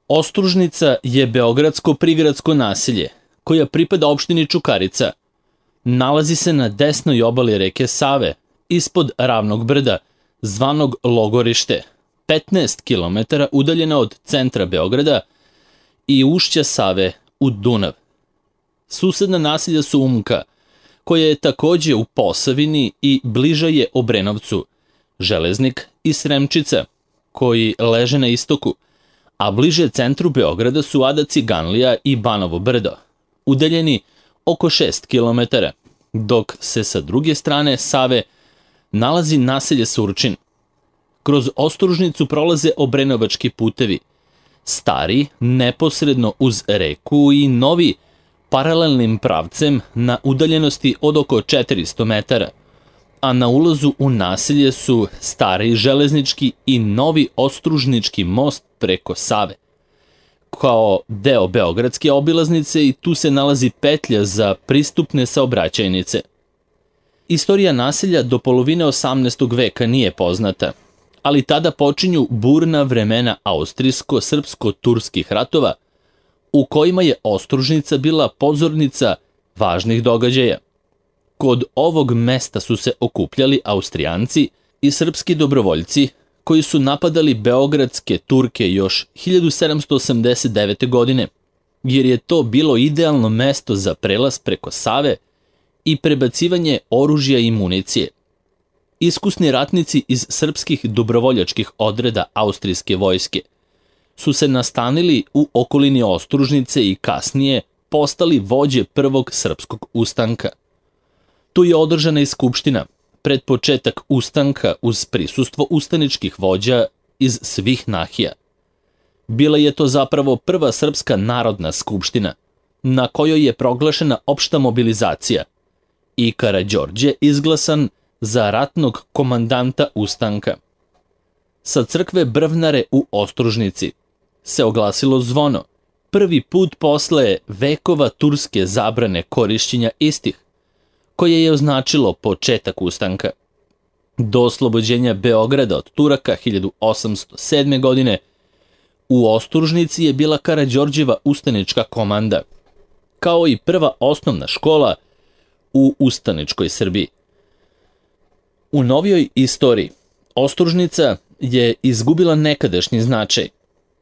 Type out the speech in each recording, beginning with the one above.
Ostružnica je beogradsko prigradsko naselje koja pripada opštini Čukarica. Nalazi se na desnoj obali reke Save, ispod Ravnog brda, zvanog Logorište, 15 km udaljena od centra Beograda i ušća Save u Dunav. Susedna naselja su Umka, koja je takođe u Posavini i bliža je Obrenovcu, Železnik i Sremčica, koji leže na istoku, a bliže centru Beograda su Ada-Ciganlija i Banovo brdo, udaljeni oko 6 km, dok se sa druge strane Save nalazi naselje Surčin. Kroz Ostružnicu prolaze obrenovački putevi, stari neposredno uz reku i novi paralelnim pravcem na udaljenosti od oko 400 metara, a na ulazu u naselje su stari železnički i novi ostružnički most preko Save, kao deo beogradske obilaznice, i tu se nalazi petlja za pristupne saobraćajnice. Istorija naselja do polovine 18. veka nije poznata, ali tada počinju burna vremena austrijsko-srpsko-turskih ratova, u kojima je Ostružnica bila pozornica važnih događaja. Kod ovog mesta su se okupljali Austrijanci i srpski dobrovoljci koji su napadali beogradske Turke još 1789. godine, jer je to bilo idealno mesto za prelaz preko Save i prebacivanje oružja i municije. Iskusni ratnici iz srpskih dobrovoljačkih odreda austrijske vojske su se nastanili u okolini Ostružnice i kasnije postali vođe prvog srpskog ustanka. Tu je održana i skupština pred početak ustanka uz prisustvo ustaničkih vođa iz svih nahija. Bila je to zapravo prva srpska narodna skupština, na kojoj je proglašena opšta mobilizacija i Karađorđe izglasan za ratnog komandanta ustanka. Sa crkve Brvnare u Ostružnici se oglasilo zvono, prvi put posle vekova turske zabrane korišćenja istih, koje je označilo početak ustanka. Do oslobođenja Beograda od Turaka 1807. godine u Ostružnici je bila Karađorđeva ustanička komanda, kao i prva osnovna škola u ustaničkoj Srbiji. U novijoj istoriji Ostružnica je izgubila nekadašnji značaj,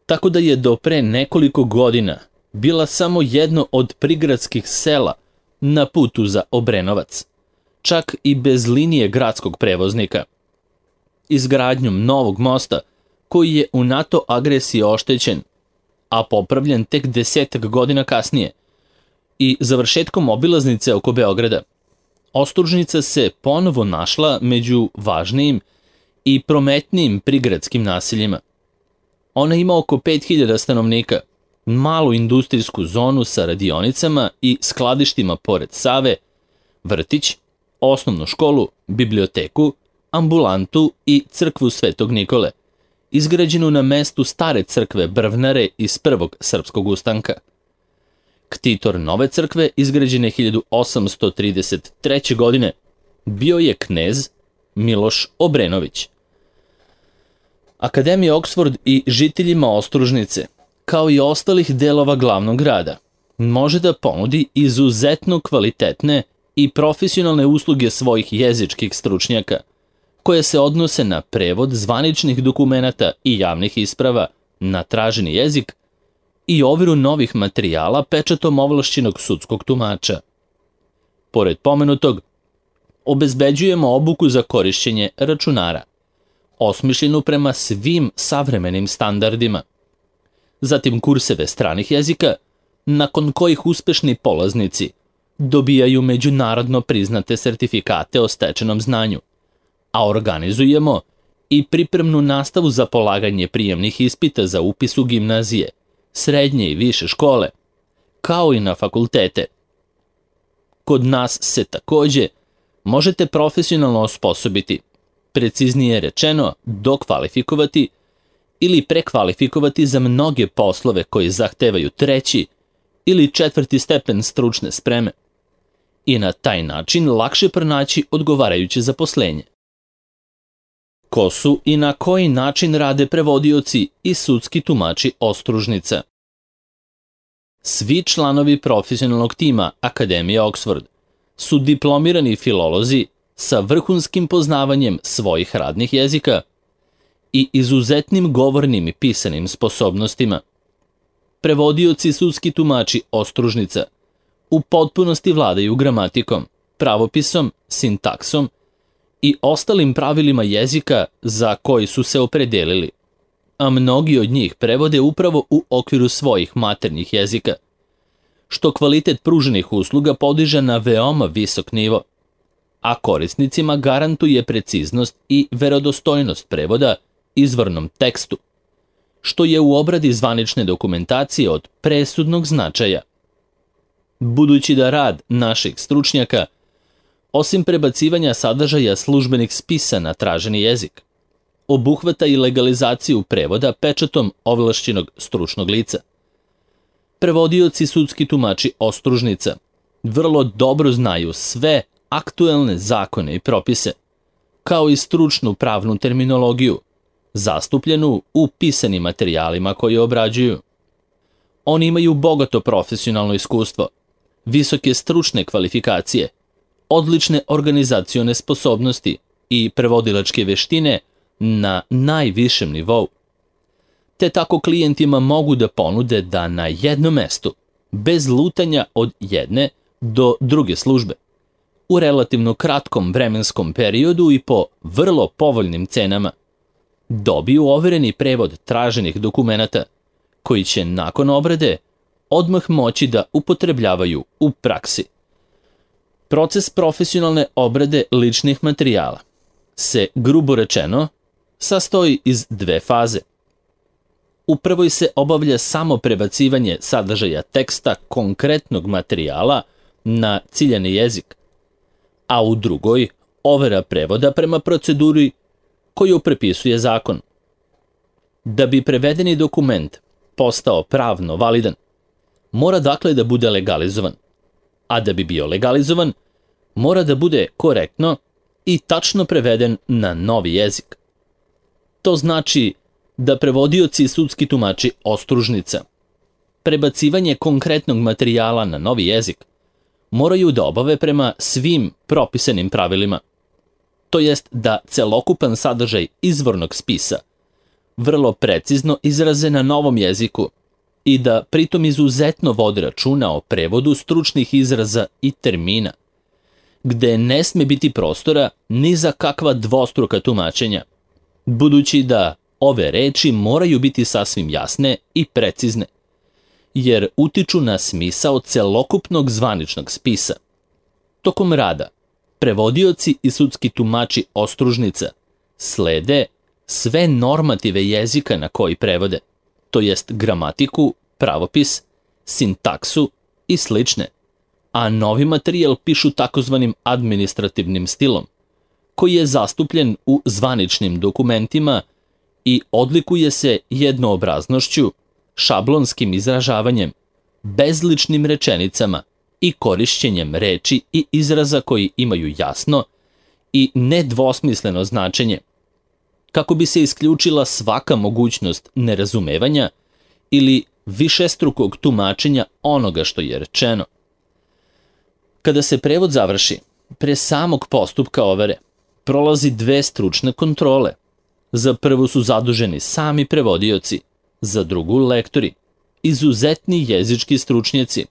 tako da je do pre nekoliko godina bila samo jedno od prigradskih sela na putu za Obrenovac, čak i bez linije gradskog prevoznika. Izgradnjom novog mosta, koji je u NATO agresiji oštećen, a popravljen tek 10 godina kasnije, i završetkom obilaznice oko Beograda, Ostružnica se ponovo našla među važnijim i prometnijim prigradskim naseljima. Ona ima oko 5000 stanovnika, malu industrijsku zonu sa radionicama i skladištima pored Save, vrtić, osnovnu školu, biblioteku, ambulantu i crkvu Svetog Nikole, izgrađenu na mestu stare crkve Brvnare iz prvog srpskog ustanka. Ktitor nove crkve, izgrađene 1833. godine, bio je knez Miloš Obrenović. Akademija Oxford i žiteljima Ostružnice, kao i ostalih delova glavnog grada, može da ponudi izuzetno kvalitetne i profesionalne usluge svojih jezičkih stručnjaka, koje se odnose na prevod zvaničnih dokumenata i javnih isprava na traženi jezik i overu novih materijala pečatom ovlašćenog sudskog tumača. Pored pomenutog, obezbeđujemo obuku za korišćenje računara, osmišljenu prema svim savremenim standardima. Zatim kurseve stranih jezika, nakon kojih uspešni polaznici dobijaju međunarodno priznate sertifikate o stečenom znanju, a organizujemo i pripremnu nastavu za polaganje prijemnih ispita za upis u gimnazije, srednje i više škole, kao i na fakultete. Kod nas se takođe možete profesionalno osposobiti, preciznije rečeno dokvalifikovati ili prekvalifikovati za mnoge poslove koji zahtevaju 3. ili 4. stepen stručne spreme i na taj način lakše pronaći odgovarajuće zaposlenje. Ko su i na koji način rade prevodioci i sudski tumači ostružnica? Svi članovi profesionalnog tima Akademije Oxford su diplomirani filolozi sa vrhunskim poznavanjem svojih radnih jezika i izuzetnim govornim i pisanim sposobnostima. Prevodioci i sudski tumači ostružnica u potpunosti vladaju gramatikom, pravopisom, sintaksom i ostalim pravilima jezika za koji su se opredelili, a mnogi od njih prevode upravo u okviru svojih maternjih jezika, što kvalitet pruženih usluga podiže na veoma visok nivo, a korisnicima garantuje preciznost i verodostojnost prevoda izvornom tekstu, što je u obradi zvanične dokumentacije od presudnog značaja. Budući da rad naših stručnjaka, osim prebacivanja sadržaja službenih spisa na traženi jezik, obuhvata i legalizaciju prevoda pečatom ovlašćenog stručnog lica. Prevodioci sudski tumači ostružnica vrlo dobro znaju sve aktuelne zakone i propise, kao i stručnu pravnu terminologiju, zastupljenu u pisanim materijalima koje obrađuju. Oni imaju bogato profesionalno iskustvo, visoke stručne kvalifikacije, odlične organizacione sposobnosti i prevodilačke veštine na najvišem nivou. Te tako klijentima mogu da ponude da na jednom mestu, bez lutanja od jedne do druge službe, u relativno kratkom vremenskom periodu i po vrlo povoljnim cenama, dobiju overeni prevod traženih dokumenata, koji će nakon obrade odmah moći da upotrebljavaju u praksi. Proces profesionalne obrade ličnih materijala se, grubo rečeno, sastoji iz dve faze. U prvoj se obavlja samo prebacivanje sadržaja teksta konkretnog materijala na ciljani jezik, a u drugoj overa prevoda prema proceduri koju prepisuje zakon. Da bi prevedeni dokument postao pravno validan, mora dakle da bude legalizovan, a da bi bio legalizovan, mora da bude korektno i tačno preveden na novi jezik. To znači da prevodioci i sudski tumači ostružnica prebacivanje konkretnog materijala na novi jezik moraju da obave prema svim propisanim pravilima, to jest da celokupan sadržaj izvornog spisa vrlo precizno izraze na novom jeziku i da pritom izuzetno vode računa o prevodu stručnih izraza i termina, gde ne sme biti prostora ni za kakva dvostruka tumačenja, budući da ove reči moraju biti sasvim jasne i precizne, jer utiču na smisao celokupnog zvaničnog spisa. Tokom rada, prevodioci i sudski tumači ostružnica slede sve normative jezika na koji prevode, to jest gramatiku, pravopis, sintaksu i slične, a novi materijal pišu takozvanim administrativnim stilom, koji je zastupljen u zvaničnim dokumentima i odlikuje se jednoobraznošću, šablonskim izražavanjem, bezličnim rečenicama i korišćenjem reči i izraza koji imaju jasno i nedvosmisleno značenje, kako bi se isključila svaka mogućnost nerazumevanja ili višestrukog tumačenja onoga što je rečeno. Kada se prevod završi, pre samog postupka overe prolazi dve stručne kontrole. Za prvu su zaduženi sami prevodioci, za drugu lektori, izuzetni jezički stručnjaci,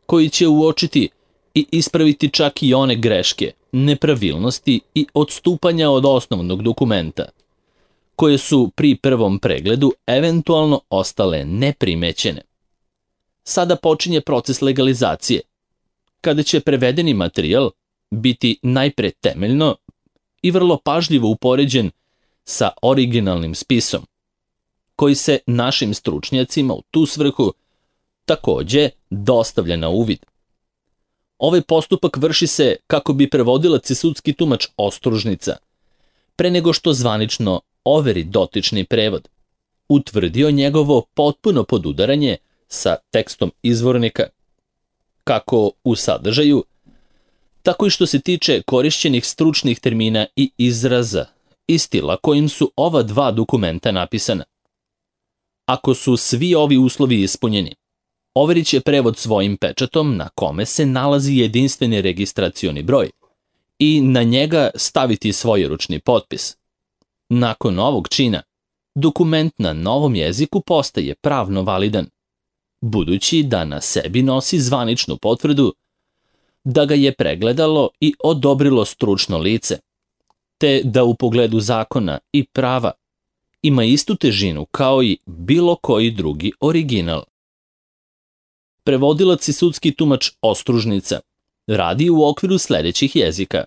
koji će uočiti i ispraviti čak i one greške, nepravilnosti i odstupanja od osnovnog dokumenta, koje su pri prvom pregledu eventualno ostale neprimećene. Sada počinje proces legalizacije, kada će prevedeni materijal biti najpre temeljno i vrlo pažljivo upoređen sa originalnim spisom, koji se našim stručnjacima u tu svrhu takođe dostavlja na uvid. Ovaj postupak vrši se kako bi prevodilac i sudski tumač ostružnica, pre nego što zvanično overi dotični prevod, utvrdio njegovo potpuno podudaranje sa tekstom izvornika, kako u sadržaju, tako i što se tiče korišćenih stručnih termina i izraza i stila kojim su ova dva dokumenta napisana. Ako su svi ovi uslovi ispunjeni, overit će prevod svojim pečatom na kome se nalazi jedinstveni registracioni broj i na njega staviti svoj ručni potpis. Nakon ovog čina, dokument na novom jeziku postaje pravno validan, budući da na sebi nosi zvaničnu potvrdu da ga je pregledalo i odobrilo stručno lice, te da u pogledu zakona i prava ima istu težinu kao i bilo koji drugi original. Prevodilac i sudski tumač ostružnica radi u okviru sledećih jezika.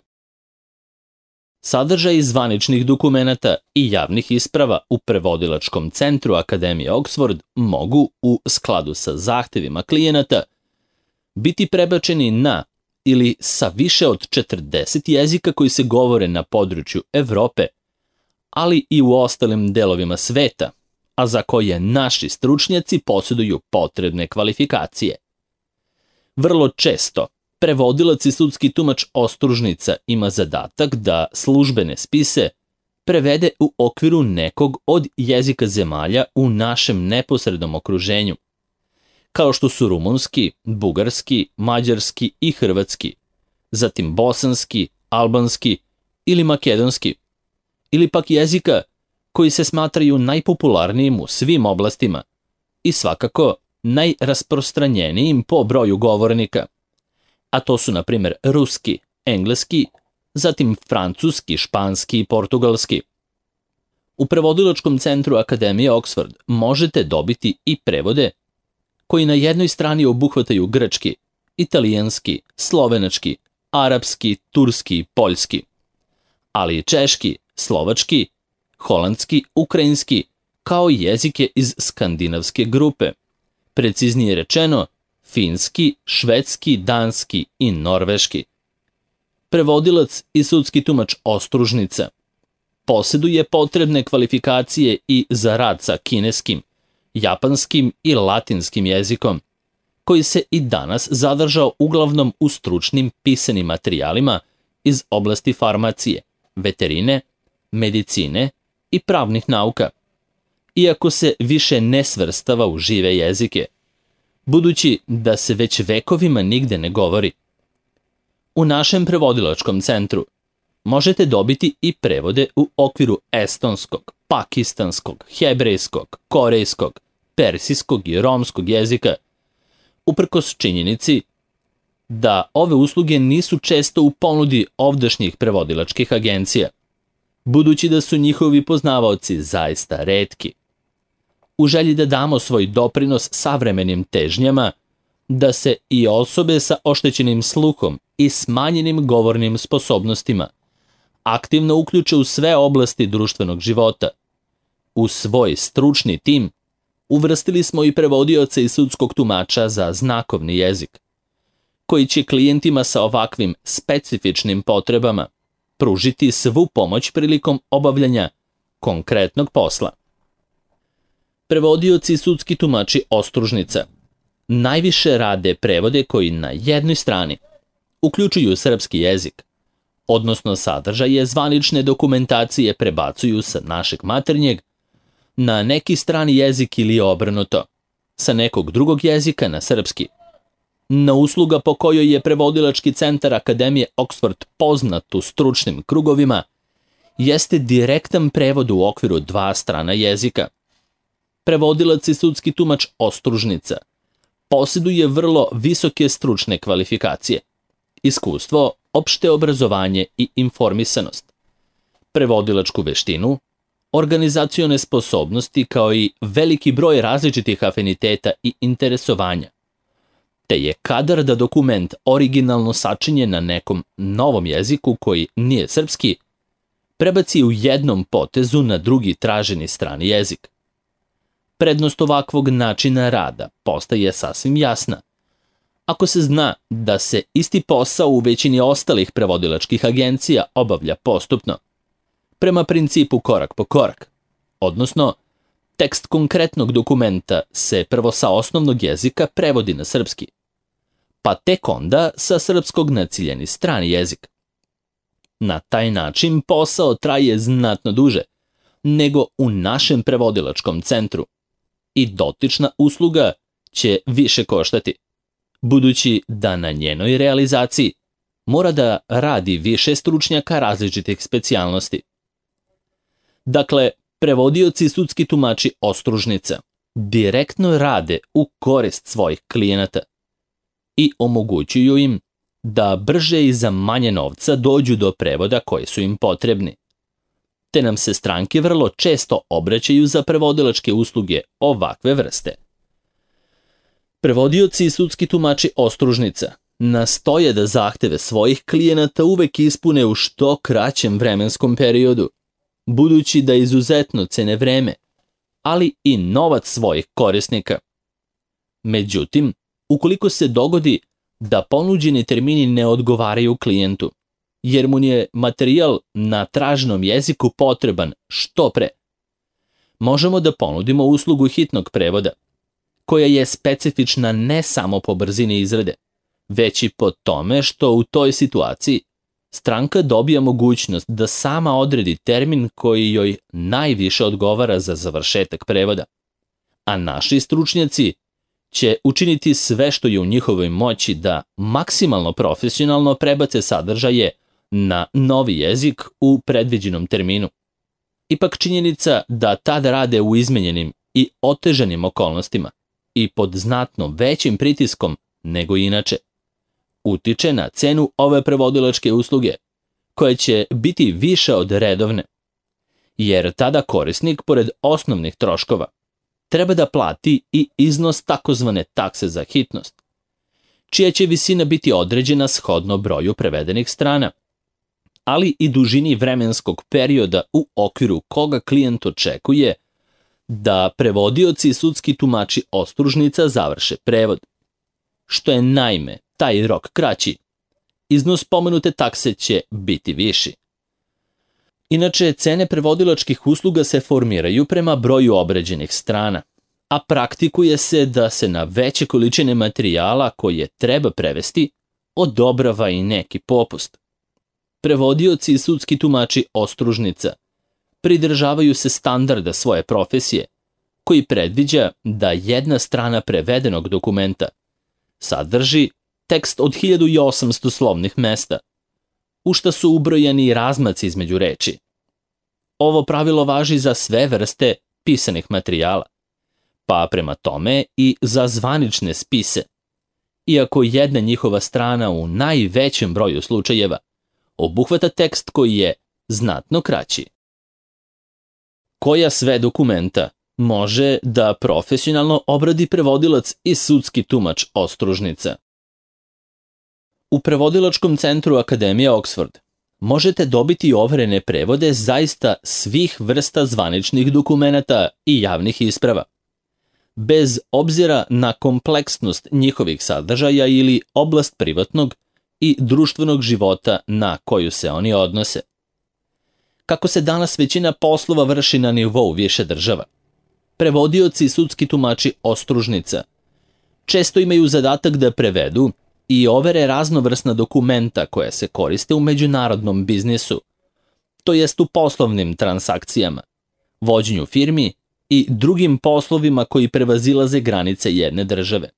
Sadržaj zvaničnih dokumenata i javnih isprava u prevodilačkom centru Akademije Oxford mogu, u skladu sa zahtevima klijenata, biti prebačeni na ili sa više od 40 jezika koji se govore na području Evrope, ali i u ostalim delovima sveta, a za koje naši stručnjaci posjeduju potrebne kvalifikacije. Vrlo često, prevodilac i sudski tumač ostružnica ima zadatak da službene spise prevede u okviru nekog od jezika zemalja u našem neposrednom okruženju, kao što su rumunski, bugarski, mađarski i hrvatski, zatim bosanski, albanski ili makedonski, ili pak jezika koji se smatraju najpopularnijim u svim oblastima i svakako najrasprostranjenijim po broju govornika, a to su na primjer ruski, engleski, zatim francuski, španski i portugalski. U prevodilačkom centru Akademije Oxford možete dobiti i prevode koji na jednoj strani obuhvataju grčki, italijanski, slovenački, arapski, turski i poljski, ali i češki, slovački, holandski, ukrajinski, kao i jezike iz skandinavske grupe, preciznije rečeno finski, švedski, danski i norveški. Prevodilac i sudski tumač ostružnica posjeduje potrebne kvalifikacije i za rad sa kineskim, japanskim i latinskim jezikom, koji se i danas zadržao uglavnom u stručnim pisanim materijalima iz oblasti farmacije, veterine, medicine i pravnih nauka, iako se više ne svrstava u žive jezike, budući da se već vekovima nigde ne govori. U našem prevodilačkom centru možete dobiti i prevode u okviru estonskog, pakistanskog, hebrejskog, korejskog, persijskog i romskog jezika, uprkos činjenici da ove usluge nisu često u ponudi ovdašnjih prevodilačkih agencija, budući da su njihovi poznavaoci zaista retki. U želji da damo svoj doprinos savremenim težnjama, da se i osobe sa oštećenim sluhom i smanjenim govornim sposobnostima aktivno uključe u sve oblasti društvenog života, u svoj stručni tim uvrstili smo i prevodioce i sudskog tumača za znakovni jezik, koji će klijentima sa ovakvim specifičnim potrebama pružiti svu pomoć prilikom obavljanja konkretnog posla. Prevodioci i sudski tumači ostružnica najviše rade prevode koji na jednoj strani uključuju srpski jezik, odnosno sadržaje zvanične dokumentacije prebacuju sa našeg maternjeg na neki strani jezik ili obrnuto, sa nekog drugog jezika na srpski. Na usluga po kojoj je prevodilački centar Akademije Oxford poznat u stručnim krugovima jeste direktan prevod u okviru dva strana jezika. Prevodilac i sudski tumač ostružnica posjeduje vrlo visoke stručne kvalifikacije, iskustvo, opšte obrazovanje i informisanost, prevodilačku veštinu, organizacione sposobnosti kao i veliki broj različitih afiniteta i interesovanja, te je kadar da dokument originalno sačinjen na nekom novom jeziku koji nije srpski, prebaci u jednom potezu na drugi traženi strani jezik. Prednost ovakvog načina rada postaje sasvim jasna ako se zna da se isti posao u većini ostalih prevodilačkih agencija obavlja postupno, prema principu korak po korak, odnosno tekst konkretnog dokumenta se prvo sa osnovnog jezika prevodi na srpski, pa tek onda sa srpskog na ciljani strani jezik. Na taj način posao traje znatno duže nego u našem prevodilačkom centru i dotična usluga će više koštati, budući da na njenoj realizaciji mora da radi više stručnjaka različitih specijalnosti. Dakle, prevodioci i sudski tumači ostružnica direktno rade u korist svojih klijenata i omogućuju im da brže i za manje novca dođu do prevoda koji su im potrebni. Te nam se stranke vrlo često obraćaju za prevodilačke usluge ovakve vrste. Prevodioci i sudski tumači ostružnica nastoje da zahteve svojih klijenata uvek ispune u što kraćem vremenskom periodu, budući da izuzetno cene vreme, ali i novac svojih korisnika. Međutim, ukoliko se dogodi da ponuđeni termini ne odgovaraju klijentu, jer mu je materijal na traženom jeziku potreban što pre, možemo da ponudimo uslugu hitnog prevoda, koja je specifična ne samo po brzini izrade, već i po tome što u toj situaciji stranka dobija mogućnost da sama odredi termin koji joj najviše odgovara za završetak prevoda, a naši stručnjaci će učiniti sve što je u njihovoj moći da maksimalno profesionalno prebace sadržaje na novi jezik u predviđenom terminu. Ipak činjenica da tad rade u izmenjenim i otežanim okolnostima i pod znatno većim pritiskom nego inače, utiče na cenu ove prevodilačke usluge, koja će biti više od redovne, jer tada korisnik, pored osnovnih troškova, treba da plati i iznos takozvane takse za hitnost, čija će visina biti određena shodno broju prevedenih strana, ali i dužini vremenskog perioda u okviru koga klijent očekuje da prevodioci i sudski tumači ostružnica završe prevod. Što je naime taj rok kraći, iznos pomenute takse će biti viši. Inače, cene prevodilačkih usluga se formiraju prema broju obrađenih strana, a praktikuje se da se na veće količine materijala koje treba prevesti odobrava i neki popust. Prevodioci i sudski tumači ostružnica pridržavaju se standarda svoje profesije, koji predviđa da jedna strana prevedenog dokumenta sadrži tekst od 1800 slovnih mesta, u šta su ubrojani i razmaci između reči. Ovo pravilo važi za sve vrste pisanih materijala, pa prema tome i za zvanične spise, iako jedna njihova strana u najvećem broju slučajeva obuhvata tekst koji je znatno kraći. Koja sve dokumenta može da profesionalno obradi prevodilac i sudski tumač ostružnica? U prevodilačkom centru Akademije Oxford možete dobiti overene prevode zaista svih vrsta zvaničnih dokumenata i javnih isprava, bez obzira na kompleksnost njihovih sadržaja ili oblast privatnog i društvenog života na koju se oni odnose. Kako se danas većina poslova vrši na nivou više država, prevodioci i sudski tumači ostružnica često imaju zadatak da prevedu i overe raznovrsna dokumenta koja se koriste u međunarodnom biznisu, to jest u poslovnim transakcijama, vođenju firmi i drugim poslovima koji prevazilaze granice jedne države.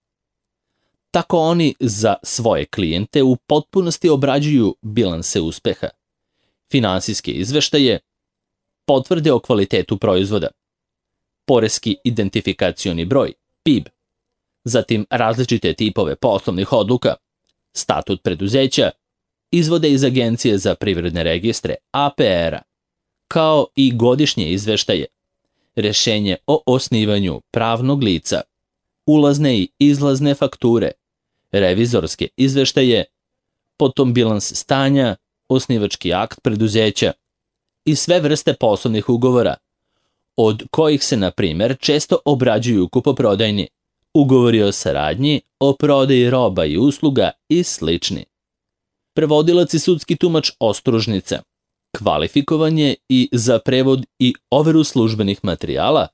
Tako oni za svoje klijente u potpunosti obrađuju bilanse uspeha, finansijske izveštaje, potvrde o kvalitetu proizvoda, poreski identifikacioni broj, PIB, zatim različite tipove poslovnih odluka, statut preduzeća, izvode iz Agencije za privredne registre APR-a, kao i godišnje izveštaje, rešenje o osnivanju pravnog lica, ulazne i izlazne fakture, revizorske izveštaje, potom bilans stanja, osnivački akt preduzeća i sve vrste poslovnih ugovora, od kojih se, na primer, često obrađuju kupoprodajni, ugovori o saradnji, o prodaji roba i usluga i slični. Prevodilac i sudski tumač ostružnica kvalifikovan je i za prevod i overu službenih materijala,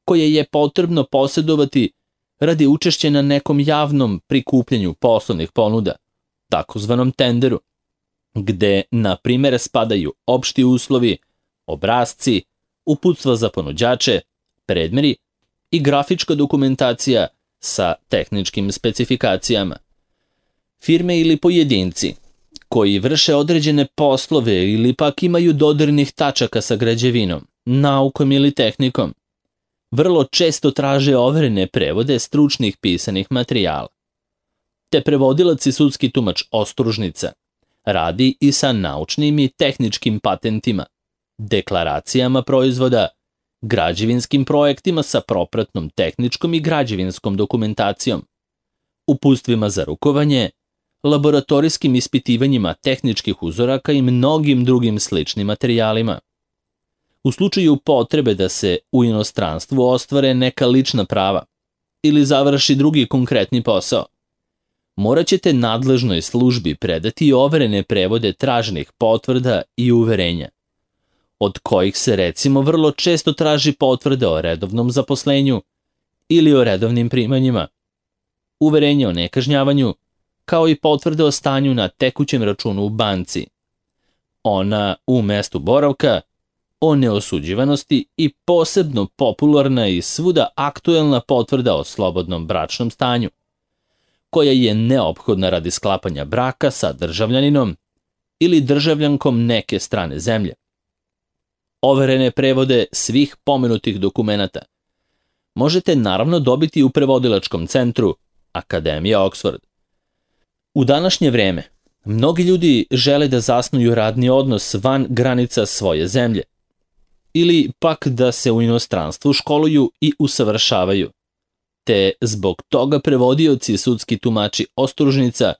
koje je potrebno posjedovati radi učešća na nekom javnom prikupljanju poslovnih ponuda, takozvanom tenderu, gde, na primjer, spadaju opšti uslovi, obrasci, uputstva za ponuđače, predmeri i grafička dokumentacija sa tehničkim specifikacijama. Firme ili pojedinci koji vrše određene poslove ili pak imaju dodirnih tačaka sa građevinom, naukom ili tehnikom, vrlo često traže overene prevode stručnih pisanih materijala. Te prevodilac i sudski tumač ostružnica radi i sa naučnim i tehničkim patentima, deklaracijama proizvoda, građevinskim projektima sa propratnom tehničkom i građevinskom dokumentacijom, uputstvima za rukovanje, laboratorijskim ispitivanjima tehničkih uzoraka i mnogim drugim sličnim materijalima. U slučaju potrebe da se u inostranstvu ostvare neka lična prava ili završi drugi konkretni posao, morat ćete nadležnoj službi predati overene prevode traženih potvrda i uverenja, od kojih se recimo vrlo često traži potvrda o redovnom zaposlenju ili o redovnim primanjima, uverenje o nekažnjavanju, kao i potvrde o stanju na tekućem računu u banci, ona u mestu boravka, o neosuđivanosti i posebno popularna i svuda aktuelna potvrda o slobodnom bračnom stanju, koja je neophodna radi sklapanja braka sa državljaninom ili državljankom neke strane zemlje. Overene prevode svih pomenutih dokumenata možete naravno dobiti u prevodilačkom centru Akademija Oxford. U današnje vreme, mnogi ljudi žele da zasnuju radni odnos van granica svoje zemlje, ili pak da se u inostranstvu školuju i usavršavaju, te zbog toga prevodioci i sudski tumači ostružnica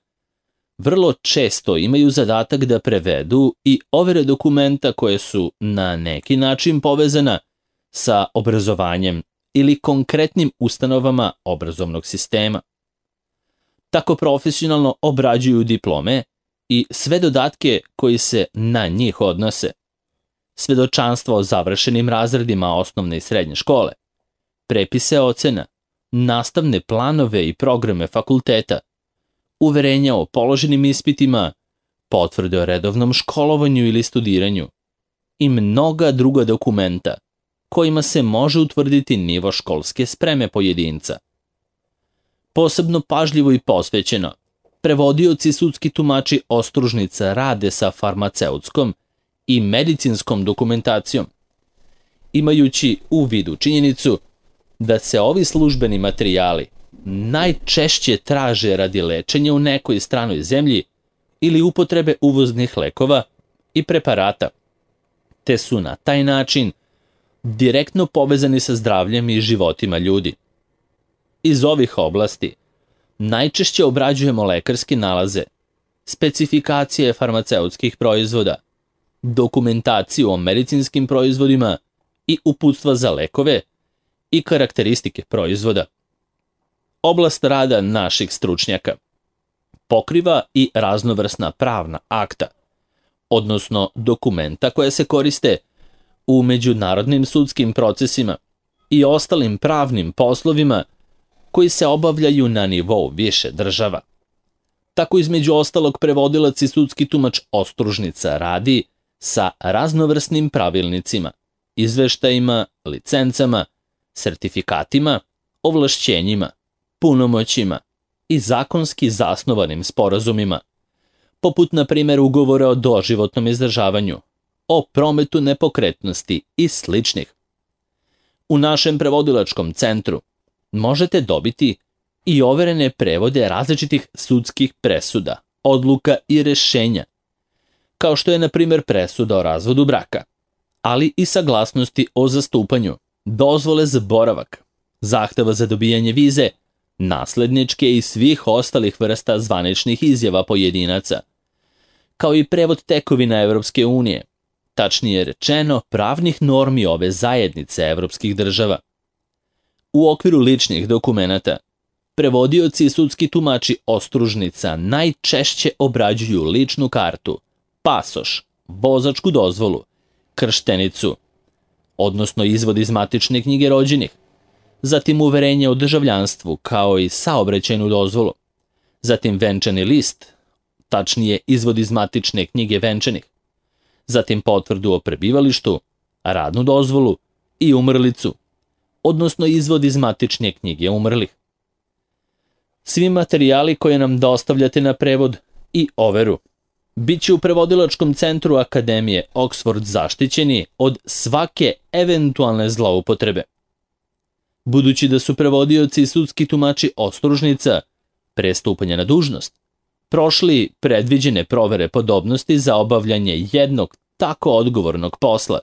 vrlo često imaju zadatak da prevedu i overe dokumenta koje su na neki način povezana sa obrazovanjem ili konkretnim ustanovama obrazovnog sistema. Tako profesionalno obrađuju diplome i sve dodatke koji se na njih odnose, svedočanstva o završenim razredima osnovne i srednje škole, prepise ocena, nastavne planove i programe fakulteta, uverenja o položenim ispitima, potvrde o redovnom školovanju ili studiranju i mnoga druga dokumenta kojima se može utvrditi nivo školske spreme pojedinca. Posebno pažljivo i posvećeno, prevodioci i sudski tumači ostružnica rade sa farmaceutskom i medicinskom dokumentacijom, imajući u vidu činjenicu da se ovi službeni materijali najčešće traže radi lečenja u nekoj stranoj zemlji ili upotrebe uvoznih lekova i preparata, te su na taj način direktno povezani sa zdravljem i životima ljudi. Iz ovih oblasti najčešće obrađujemo lekarske nalaze, specifikacije farmaceutskih proizvoda, dokumentaciju o medicinskim proizvodima i uputstva za lekove i karakteristike proizvoda. Oblast rada naših stručnjaka pokriva i raznovrsna pravna akta, odnosno dokumenta koje se koriste u međunarodnim sudskim procesima i ostalim pravnim poslovima koji se obavljaju na nivou više država. Tako između ostalog prevodilac i sudski tumač ostružnica radi sa raznovrsnim pravilnicima, izveštajima, licencama, sertifikatima, ovlašćenjima, punomoćima i zakonski zasnovanim sporazumima, poput na primjer ugovora o doživotnom izdržavanju, o prometu nepokretnosti i sličnih. U našem prevodilačkom centru možete dobiti i overene prevode različitih sudskih presuda, odluka i rešenja, kao što je na primjer presuda o razvodu braka, ali i saglasnosti o zastupanju, dozvole za boravak, zahteva za dobijanje vize, nasledničke i svih ostalih vrsta zvaničnih izjava pojedinaca, kao i prevod tekovina Evropske unije, tačnije rečeno pravnih normi ove zajednice evropskih država. U okviru ličnih dokumenata, prevodioci i sudski tumači ostružnica najčešće obrađuju ličnu kartu, pasoš, vozačku dozvolu, krštenicu, odnosno izvod iz matične knjige rođenih, zatim uverenje o državljanstvu kao i saobraćajnu dozvolu, zatim venčani list, tačnije izvod iz matične knjige venčanih, zatim potvrdu o prebivalištu, radnu dozvolu i umrlicu, odnosno izvod iz matične knjige umrlih. Svi materijali koje nam dostavljate na prevod i overu bit će u prevodilačkom centru Akademije Oxford zaštićeni od svake eventualne zloupotrebe. Budući da su prevodioci i sudski tumači ostružnica, pre stupanja na dužnost, prošli predviđene provere podobnosti za obavljanje jednog tako odgovornog posla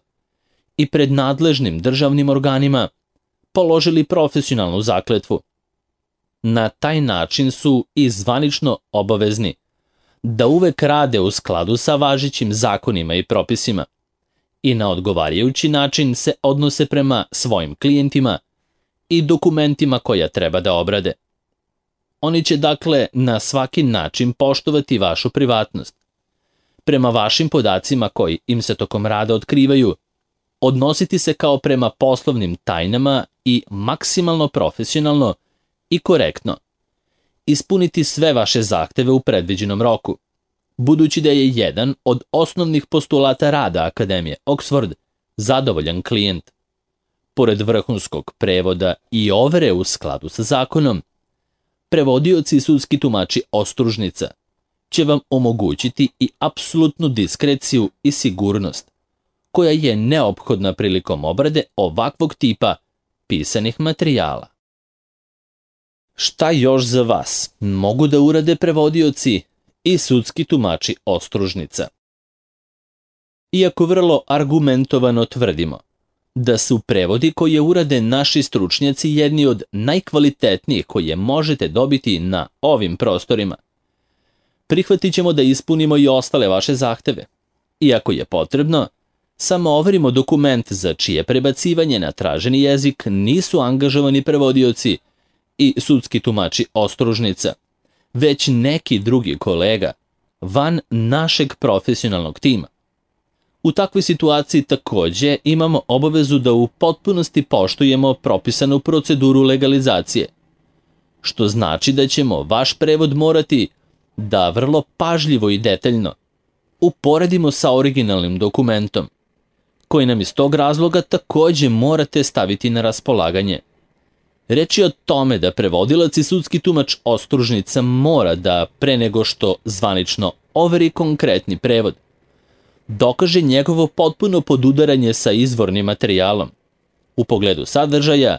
i pred nadležnim državnim organima položili profesionalnu zakletvu. Na taj način su i zvanično obavezni da uvek rade u skladu sa važećim zakonima i propisima i na odgovarajući način se odnose prema svojim klijentima i dokumentima koja treba da obrade. Oni će dakle na svaki način poštovati vašu privatnost. Prema vašim podacima koji im se tokom rada otkrivaju, odnositi se kao prema poslovnim tajnama i maksimalno profesionalno i korektno. Ispuniti sve vaše zahteve u predviđenom roku, budući da je jedan od osnovnih postulata rada Akademije Oxford zadovoljan klijent. Pored vrhunskog prevoda i overe u skladu sa zakonom, prevodioci i sudski tumači ostružnica će vam omogućiti i apsolutnu diskreciju i sigurnost, koja je neophodna prilikom obrade ovakvog tipa pisanih materijala. Šta još za vas mogu da urade prevodioci i sudski tumači ostružnica? Iako vrlo argumentovano tvrdimo da su prevodi koje urade naši stručnjaci jedni od najkvalitetnijih koje možete dobiti na ovim prostorima, prihvatit ćemo da ispunimo i ostale vaše zahteve. Iako je potrebno, samo overimo dokument za čije prebacivanje na traženi jezik nisu angažovani prevodioci i sudski tumači ostružnica, već neki drugi kolega van našeg profesionalnog tima. U takvoj situaciji takođe imamo obavezu da u potpunosti poštujemo propisanu proceduru legalizacije, što znači da ćemo vaš prevod morati da vrlo pažljivo i detaljno uporedimo sa originalnim dokumentom, koji nam iz tog razloga takođe morate staviti na raspolaganje. Reč je o tome da prevodilac i sudski tumač ostružnica mora da, pre nego što zvanično overi konkretni prevod, dokaže njegovo potpuno podudaranje sa izvornim materijalom u pogledu sadržaja,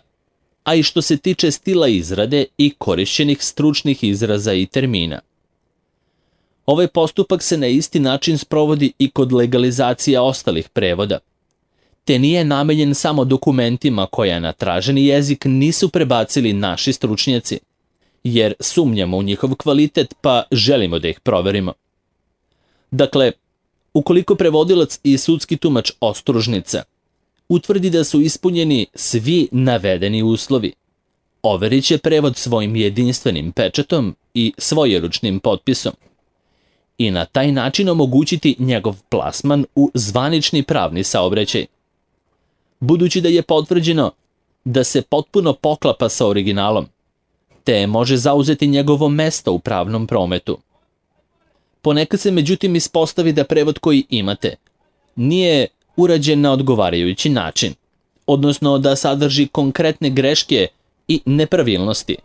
a i što se tiče stila izrade i korišćenih stručnih izraza i termina. Ovaj postupak se na isti način sprovodi i kod legalizacije ostalih prevoda, te nije namenjen samo dokumentima koja na traženi jezik nisu prebacili naši stručnjaci, jer sumnjamo u njihov kvalitet pa želimo da ih proverimo. Dakle, ukoliko prevodilac i sudski tumač ostružnica utvrdi da su ispunjeni svi navedeni uslovi, overit će prevod svojim jedinstvenim pečatom i svojeručnim potpisom i na taj način omogućiti njegov plasman u zvanični pravni saobraćaj. Budući da je potvrđeno da se potpuno poklapa sa originalom, te može zauzeti njegovo mesto u pravnom prometu. Ponekad se međutim ispostavi da prevod koji imate nije urađen na odgovarajući način, odnosno da sadrži konkretne greške i nepravilnosti,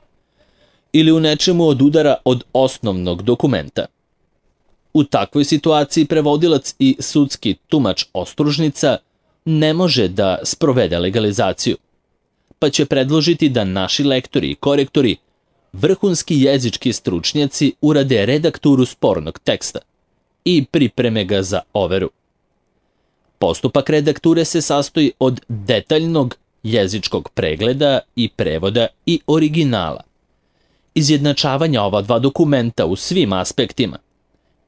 ili u nečemu odudara od osnovnog dokumenta. U takvoj situaciji prevodilac i sudski tumač ostružnica ne može da sprovede legalizaciju, pa će predložiti da naši lektori i korektori, vrhunski jezički stručnjaci, urade redakturu spornog teksta i pripreme ga za overu. Postupak redakture se sastoji od detaljnog jezičkog pregleda i prevoda i originala, izjednačavanja ova dva dokumenta u svim aspektima,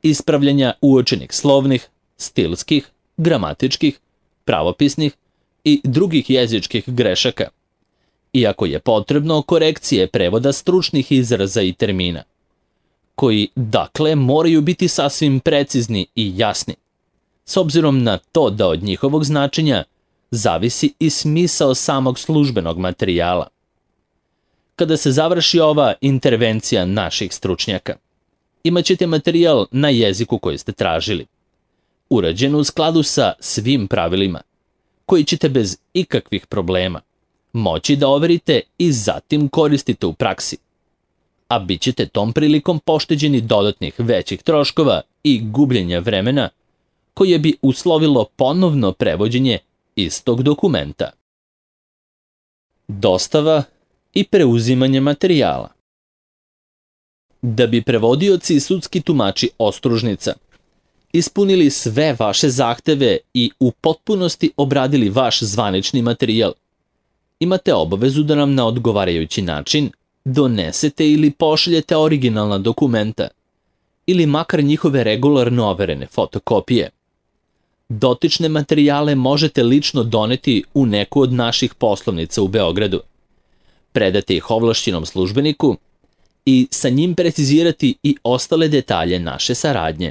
ispravljanja uočenih slovnih, stilskih, gramatičkih, pravopisnih i drugih jezičkih grešaka, iako je potrebno korekcije prevoda stručnih izraza i termina, koji dakle moraju biti sasvim precizni i jasni, s obzirom na to da od njihovog značenja zavisi i smisao samog službenog materijala. Kada se završi ova intervencija naših stručnjaka, Imaćete materijal na jeziku koji ste tražili, urađen u skladu sa svim pravilima, koji ćete bez ikakvih problema moći da overite i zatim koristite u praksi, a bit ćete tom prilikom pošteđeni dodatnih većih troškova i gubljenja vremena koje bi uslovilo ponovno prevođenje istog dokumenta. Dostava i preuzimanje materijala. Da bi prevodioci i sudski tumači ostružnica ispunili sve vaše zahteve i u potpunosti obradili vaš zvanični materijal, imate obavezu da nam na odgovarajući način donesete ili pošaljete originalna dokumenta ili makar njihove regularno overene fotokopije. Dotične materijale možete lično doneti u neku od naših poslovnica u Beogradu, predati ih ovlašćenom službeniku i sa njim precizirati i ostale detalje naše saradnje.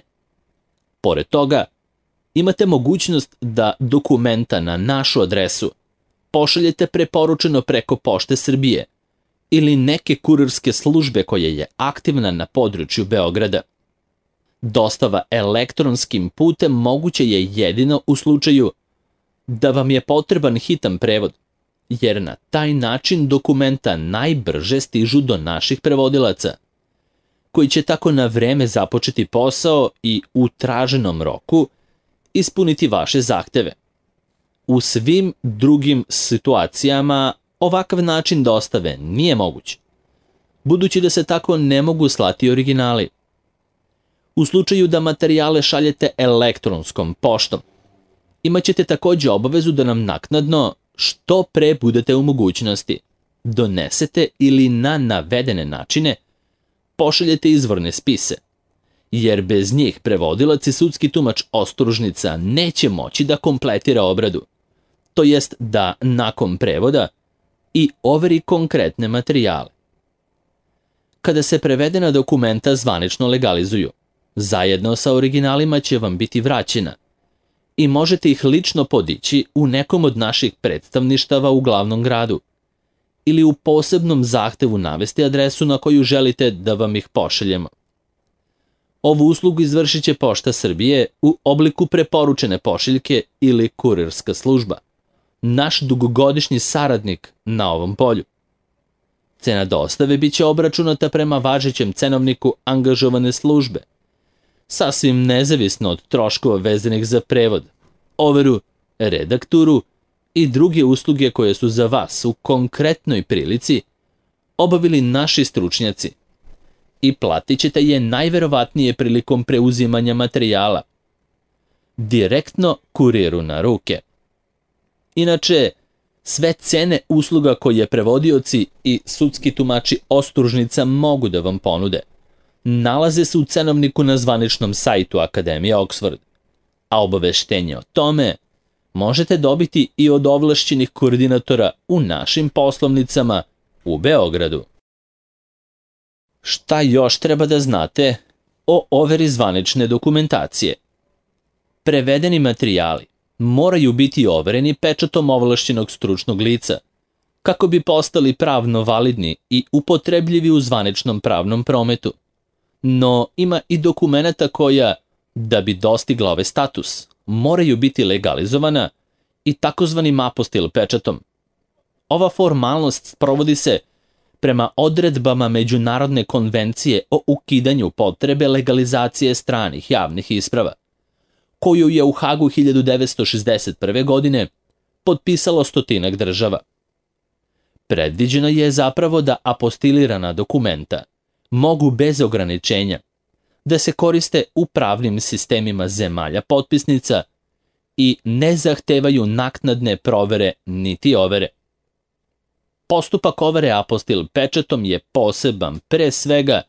Pored toga, imate mogućnost da dokumenta na našu adresu pošaljete preporučeno preko Pošte Srbije ili neke kurirske službe koja je aktivna na području Beograda. Dostava elektronskim putem moguće je jedino u slučaju da vam je potreban hitan prevod, jer na taj način dokumenta najbrže stižu do naših prevodilaca, koji će tako na vreme započeti posao i u traženom roku ispuniti vaše zahteve. U svim drugim situacijama ovakav način dostave nije moguć, budući da se tako ne mogu slati originali. U slučaju da materijale šaljete elektronskom poštom, imaćete takođe obavezu da nam naknadno, što pre budete u mogućnosti, donesete ili na navedene načine pošaljete izvorne spise, jer bez njih prevodilac i sudski tumač ostružnica neće moći da kompletira obradu, to jest da nakon prevoda i overi konkretne materijale. Kada se prevedena dokumenta zvanično legalizuju, zajedno sa originalima će vam biti vraćena i možete ih lično podići u nekom od naših predstavništava u glavnom gradu ili u posebnom zahtevu navesti adresu na koju želite da vam ih pošaljemo. Ovu uslugu izvršit će Pošta Srbije u obliku preporučene pošiljke ili kurirska služba, naš dugogodišnji saradnik na ovom polju. Cena dostave biće obračunata prema važećem cenovniku angažovane službe, sasvim nezavisno od troškova vezanih za prevod, overu, redakturu i druge usluge koje su za vas u konkretnoj prilici obavili naši stručnjaci i platit ćete je najverovatnije prilikom preuzimanja materijala, direktno kuriru na ruke. Inače, sve cene usluga koje prevodioci i sudski tumači ostružnica mogu da vam ponude nalaze se u cenovniku na zvaničnom sajtu Akademije Oxford, a obaveštenje o tome možete dobiti i od ovlašćenih koordinatora u našim poslovnicama u Beogradu. Šta još treba da znate o overi zvanične dokumentacije? Prevedeni materijali moraju biti overeni pečatom ovlašćenog stručnog lica, kako bi postali pravno validni i upotrebljivi u zvaničnom pravnom prometu. No ima i dokumenata koja, da bi dostigla ovaj status, moraju biti legalizovana i takozvanim apostil pečatom. Ova formalnost sprovodi se prema odredbama Međunarodne konvencije o ukidanju potrebe legalizacije stranih javnih isprava, koju je u Hagu 1961. godine potpisalo 100 država. Predviđeno je zapravo da apostilirana dokumenta mogu bez ograničenja da se koriste u pravnim sistemima zemalja potpisnica i ne zahtevaju naknadne provere niti overe. Postupak overe apostil pečatom je poseban pre svega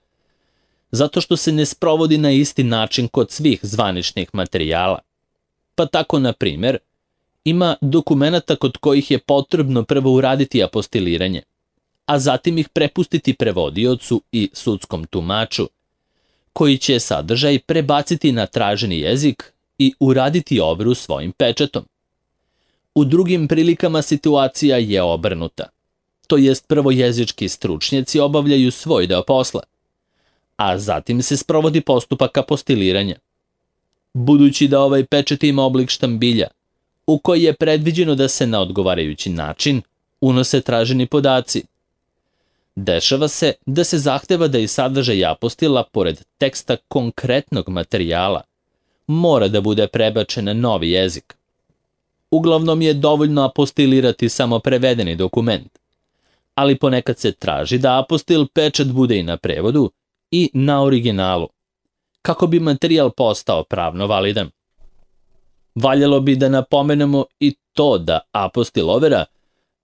zato što se ne sprovodi na isti način kod svih zvaničnih materijala. Pa tako, na primer, ima dokumenata kod kojih je potrebno prvo uraditi apostiliranje, a zatim ih prepustiti prevodiocu i sudskom tumaču, koji će sadržaj prebaciti na traženi jezik i uraditi overu svojim pečatom. U drugim prilikama situacija je obrnuta, to jest prvo jezički stručnjaci obavljaju svoj deo posla, a zatim se sprovodi postupak apostiliranja. Budući da ovaj pečat ima oblik štambilja, u koji je predviđeno da se na odgovarajući način unose traženi podaci, dešava se da se zahteva da i sadržaj apostila, pored teksta konkretnog materijala, mora da bude prebačen na novi jezik. Uglavnom je dovoljno apostilirati samo prevedeni dokument, ali ponekad se traži da apostil pečat bude i na prevodu i na originalu, kako bi materijal postao pravno validan. Valjalo bi da napomenemo i to da apostil overa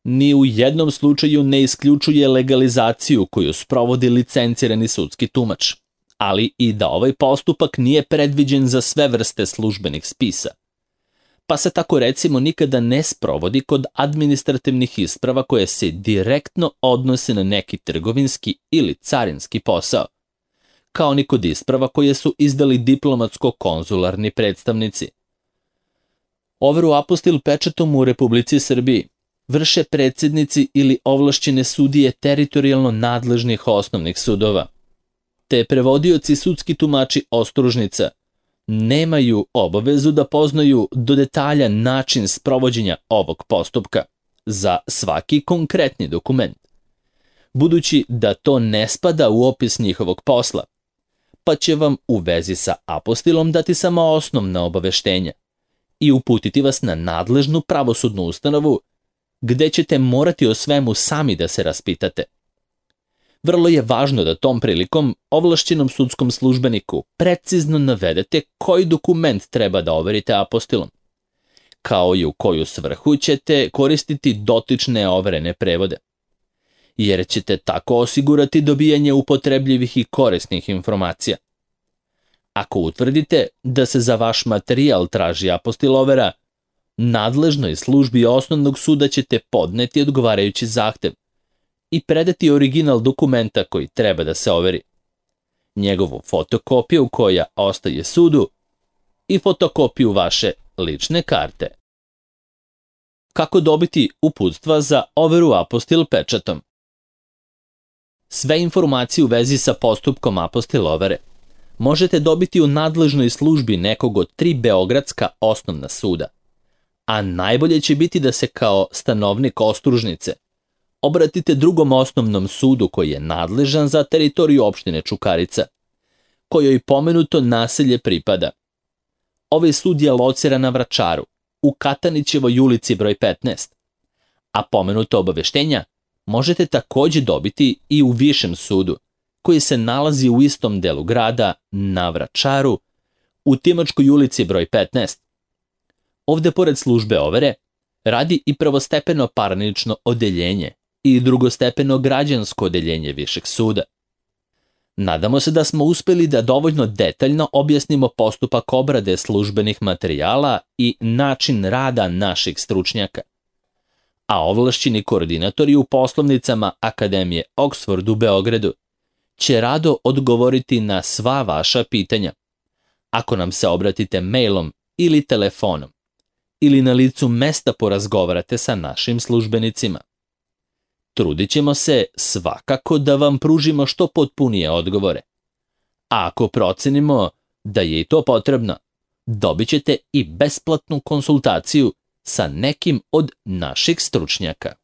ni u jednom slučaju ne isključuje legalizaciju koju sprovodi licencirani sudski tumač, ali i da ovaj postupak nije predviđen za sve vrste službenih spisa, pa se tako recimo nikada ne sprovodi kod administrativnih isprava koje se direktno odnose na neki trgovinski ili carinski posao, kao ni kod isprava koje su izdali diplomatsko-konzularni predstavnici. Overu apostil pečatom u Republici Srbiji vrše predsjednici ili ovlašćene sudije teritorijalno nadležnih osnovnih sudova, te prevodioci sudski tumači ostružnica nemaju obavezu da poznaju do detalja način sprovođenja ovog postupka za svaki konkretni dokument, budući da to ne spada u opis njihovog posla, pa će vam u vezi sa apostilom dati samo osnovna obaveštenja i uputiti vas na nadležnu pravosudnu ustanovu, gde ćete morati o svemu sami da se raspitate. Vrlo je važno da tom prilikom ovlašćenom sudskom službeniku precizno navedete koji dokument treba da overite apostilom, kao i u koju svrhu ćete koristiti dotične overene prevode, jer ćete tako osigurati dobijanje upotrebljivih i korisnih informacija. Ako utvrdite da se za vaš materijal traži apostil overa, nadležnoj službi osnovnog suda ćete podneti odgovarajući zahtev i predati original dokumenta koji treba da se overi, njegovu fotokopiju koja ostaje sudu i fotokopiju vaše lične karte. Kako dobiti uputstva za overu apostil pečatom? Sve informacije u vezi sa postupkom apostil overe možete dobiti u nadležnoj službi nekog od 3 beogradska osnovna suda, a najbolje će biti da se kao stanovnik ostružnice obratite drugom osnovnom sudu koji je nadležan za teritoriju opštine Čukarica, kojoj pomenuto naselje pripada. Ovaj sud je lociran na Vračaru, u Katanićevoj ulici broj 15, a pomenuto obaveštenja možete takođe dobiti i u višem sudu, koji se nalazi u istom delu grada na Vračaru, u Timočkoj ulici broj 15. Ovde, pored službe overe, radi i prvostepeno parnično odeljenje i drugostepeno građansko odeljenje višeg suda. Nadamo se da smo uspeli da dovoljno detaljno objasnimo postupak obrade službenih materijala i način rada naših stručnjaka, a ovlašćeni koordinatori u poslovnicama Akademije Oxford u Beogradu će rado odgovoriti na sva vaša pitanja, ako nam se obratite mailom ili telefonom, ili na licu mesta porazgovarate sa našim službenicima. Trudit ćemo se svakako da vam pružimo što potpunije odgovore. A ako procenimo da je i to potrebno, dobit ćete i besplatnu konsultaciju sa nekim od naših stručnjaka.